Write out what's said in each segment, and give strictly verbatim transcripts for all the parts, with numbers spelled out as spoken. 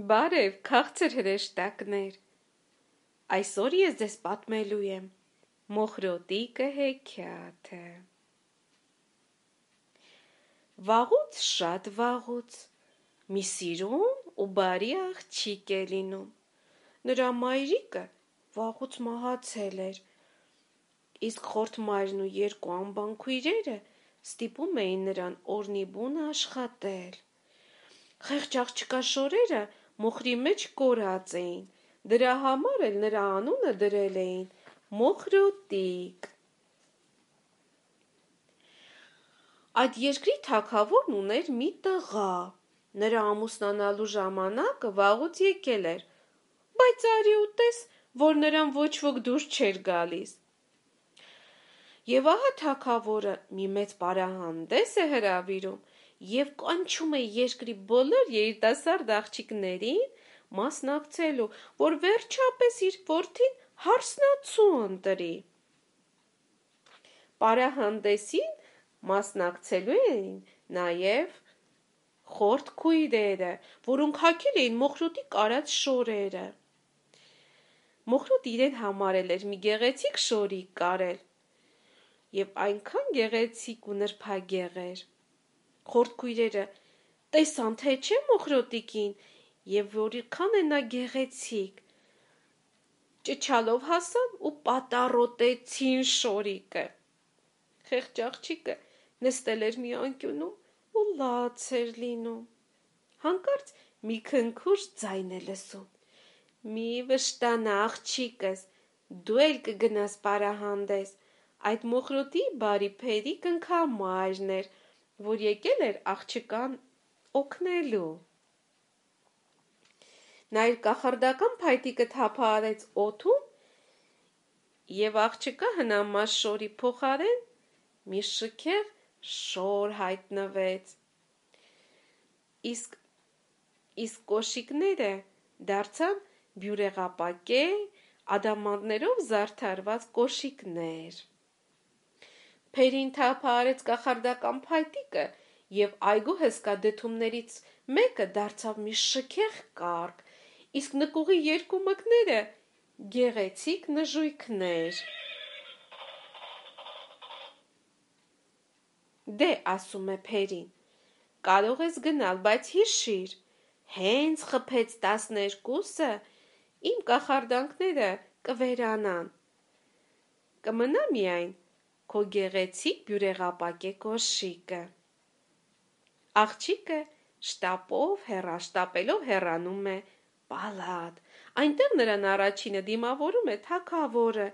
Բարև, քաղցր հրեշտակներ, այսօր ես ձեզ պատմելու եմ Մոխրոտիկը հեքիաթը։ Վաղուց շատ վաղուց մի սիրուն ու բարի աղջիկ է լինում, նրա մայրիկը վաղուց մահացել էր, իսկ խորթ մայրն ու երկու անբան քույրերը ստիպում էին նրան օրնի բուն աշխատել։ Խեղճ աղջկա շորերը մոխրի մեջ կորած էին, դրա համար էլ նրա անունը դրել էին Մոխրոտիկ։ Այդ երկրի թագավորն ուներ մի տղա, նրա ամուսնանալու ժամանակը վաղուց եկել էր, բայց արի ու տես, որ նրան ոչ ոք դուր չէր գալիս։ Եվ ահա թագավորը մի մեծ պարահանդես է հրավիրում և կանչում է երկրի բոլոր երիտասարդ աղջիկներին մասնակցելու, որ վերջապես իր որդին հարսնացու ընտրի։ Պարահանդեսին մասնակցելու էին նաև խորթ քույրերը, որոնք հագել էին Մոխրոտի կարած շորերը։ Մոխրոտը իրեն համարել էր մի գեղեցիկ շորիկ կարել, և այնքան գեղեցիկ ու նրբագեղ էր։ Խորթ քույրերը տեսան, թե չէ Մոխրոտիկին, և որքան է նա գեղեցիկ, ճչալով հասան ու պատառոտեցին շորիկը։ Խեղճ աղջիկը նստել էր մի անկյունում ու լաց էր լինում։ Հանկարծ մի քնքուշ ձայն է լսում. «Մի վշտանա, աղջիկս, դու էլ կգնաս պարահանդես»։ Այդ Մոխրոտի բարի փերիկ ընքամայրն էր, որ եկել էր աղջկան օգնելու։ Նա իր կախարդական փայտիկը թափահարեց օդում, և աղջկա հնամաշ շորի փոխարեն մի շքեղ շոր հայտնվեց։ Իսկ իսկ կոշիկները դարձան բյուրեղապակե, ադամանդներով զարդարված կոշիկներ։ Փերին թափահարեց կախարդական փայտիկը, և այգու հսկա դդումներից մեկը դարձավ մի շքեղ կառք, իսկ նկուղի երկու մկները գեղեցիկ նժույգներ։ Դե, ասում է փերին, կարող ես գնալ, բայց հիշիր, հենց խփեց տասներկուսը, իմ կախարդանքները կվերանան, կմնա միայն քո գեղեցիկ բյուրեղապակե կոշիկը։ Աղջիկը շտապով հեռաշտապելով հեռանում է պալատ, այնտեղ նրան առաջինը դիմավորում է թագավորը։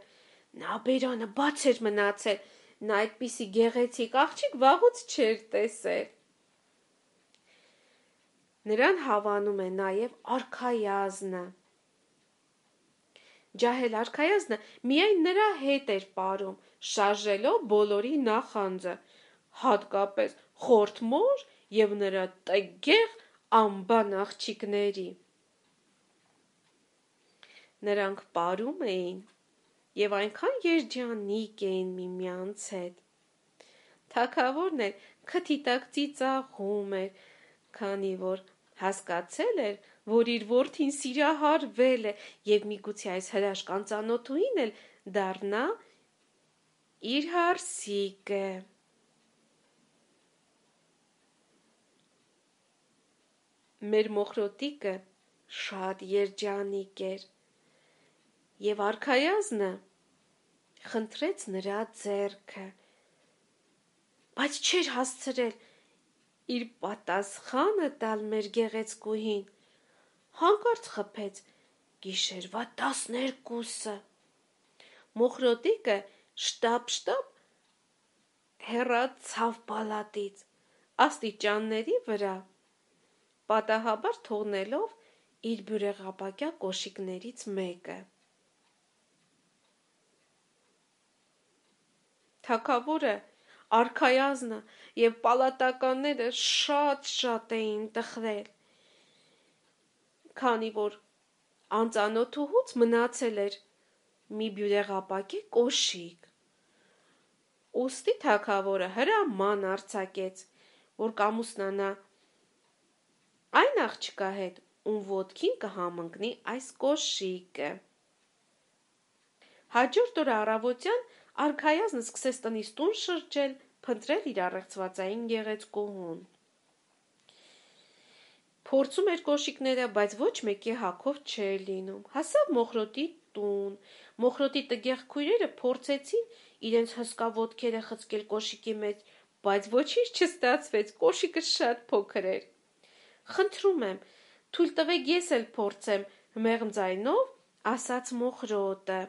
Նա բերանը բաց էր մնացել, նա այդպիսի գեղեցիկ աղջիկ վաղուց չէր տեսել։ Նրան հավանում է նաև արքայազնը։ Ջահել արքայազնը միայն նրա հետ էր պարում, շարժելով բոլորի նախանձը, հատկապես խորթ մոր և նրա տգեղ անբան աղջիկների։ Նրանք պարում էին և այնքան երջանիկ էին միմյանց հետ։ Թագավորն էլ քթի տակ ծիծաղում էր, քանի որ հասկացել էր, որ իր որդին սիրահարվել է և միգուցե այս հրաշքան ծանոթուհին էլ դառնա իր հարսիկը։ Մեր Մոխրոտիկը շատ երջանիկ էր, և արքայազնը խնդրեց նրա ձեռքը, բայց չէր հասցրել իր պատասխանը տալ մեր գեղեցկուհին, հանկարծ խփեց գիշերվա տասներկուսը։ Մոխրոտիկը շտապ-շտապ հեռացավ պալատից աստիճանների վրա, պատահաբար թողնելով իր բյուրեղապակյա կոշիկներից մեկը։ Թագավորը, արքայազնը և պալատականները շատ-շատ էին տխրել, քանի որ անծանոթուհուց մնացել էր մի բյուրեղապակե կոշիկ։ Ուստի թագավորը հրաման արձակեց, որ կամուսնանա այն աղջկա հետ, ում ոտքին կհամընկնի այս կոշիկը։ Հաջորդ օրը առավոտյան արքայազնը սկսեց տնից տուն շրջել, փնտրել իր առեղծվածային գեղեցկուհուն։ Փորձում էր կոշիկները, բայց ոչ մեկի հագով չէր լինում։ Հասավ Մոխրոտի տուն։ Մոխրոտի տգեղ քույրերը փորձեցին իրենց հսկա ոտքերը խցկել կոշիկի մեջ, բայց ոչինչ չստացվեց, կոշիկը շատ փոքր էր։ Խնդրում եմ, թույլ տվեք ես էլ փորձեմ, մեղմ ձայնով ասաց Մոխրոտը։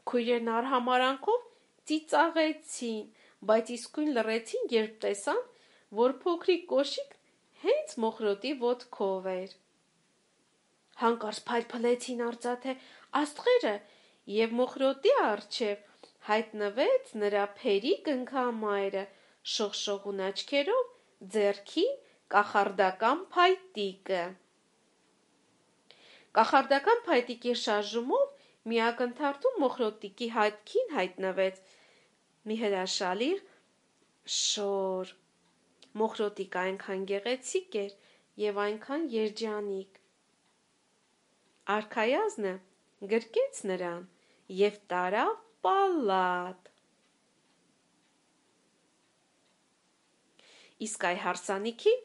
Քույրերն արհամարանքով ծիծաղեցին, բայց իսկույն լռեցին, երբ տեսան, որ փոքրիկ կոշիկն հենց Մոխրոտի ոտքով էր։ Հանկարծ փայլփլեցին արծաթե աստղերը, և Մոխրոտի առջև հայտնվեց նրա փերի կնքամայրը, շողշողուն աչքերով, ձեռքին կախարդական փայտիկը։ Կախարդական փայտիկի շարժումով մի ակնթարթում Մոխրոտիկի հետքին հայտնվեց մի հրաշալի շոր։ Մոխրոտիկը այնքան գեղեցիկ էր և այնքան երջանիկ։ Արքայազնը գրկեց նրան և տարավ պալատ։ Իսկ այ հարսանիքին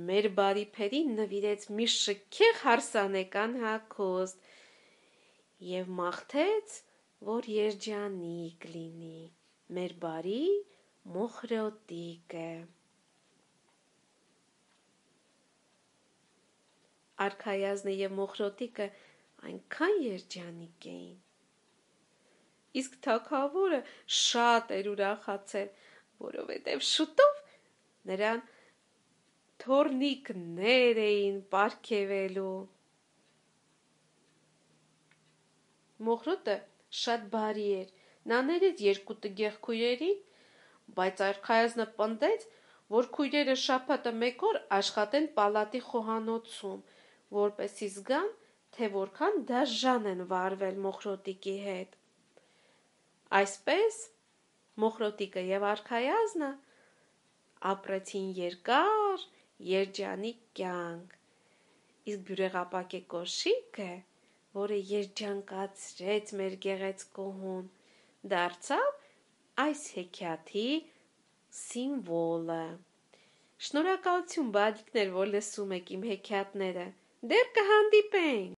մեր բարի փերին նվիրեց մի շքեղ հարսանեկան հագուստ և մաղթեց, որ երջանիկ լինի մեր բարի Մոխրոտիկը։ Արքայազնը և Մոխրոտիկը այնքան երջանիկ էին։ Իսկ թագավորը շատ էր ուրախացել, որովհետև շուտով նրան թոռնիկներ էին պարգևելու։ Մոխրոտը շատ բարի էր, նա ներեց երկու տգեղ քույրերին, բայց արքայազնը պնդեց, որ քույրերը շաբաթը մեկ օր աշխատեն պալատի խոհանոցում, որպեսզի զգան, թե որքան դաժան են վարվել Մոխրոտիկի հետ։ Այսպես Մոխրոտիկը և արքայազնը ապրեցին երկար, երջանիկ կյանք, իսկ բյուրեղապակե կոշիկը, որը երջանկացրեց մեր գեղեցկուհուն, դարձավ այս հեքիաթի սիմվոլը։ Շնորհակալություն, բալիկներ, որ լսում եք իմ հեքիաթները։ Դեռ կհանդիպենք։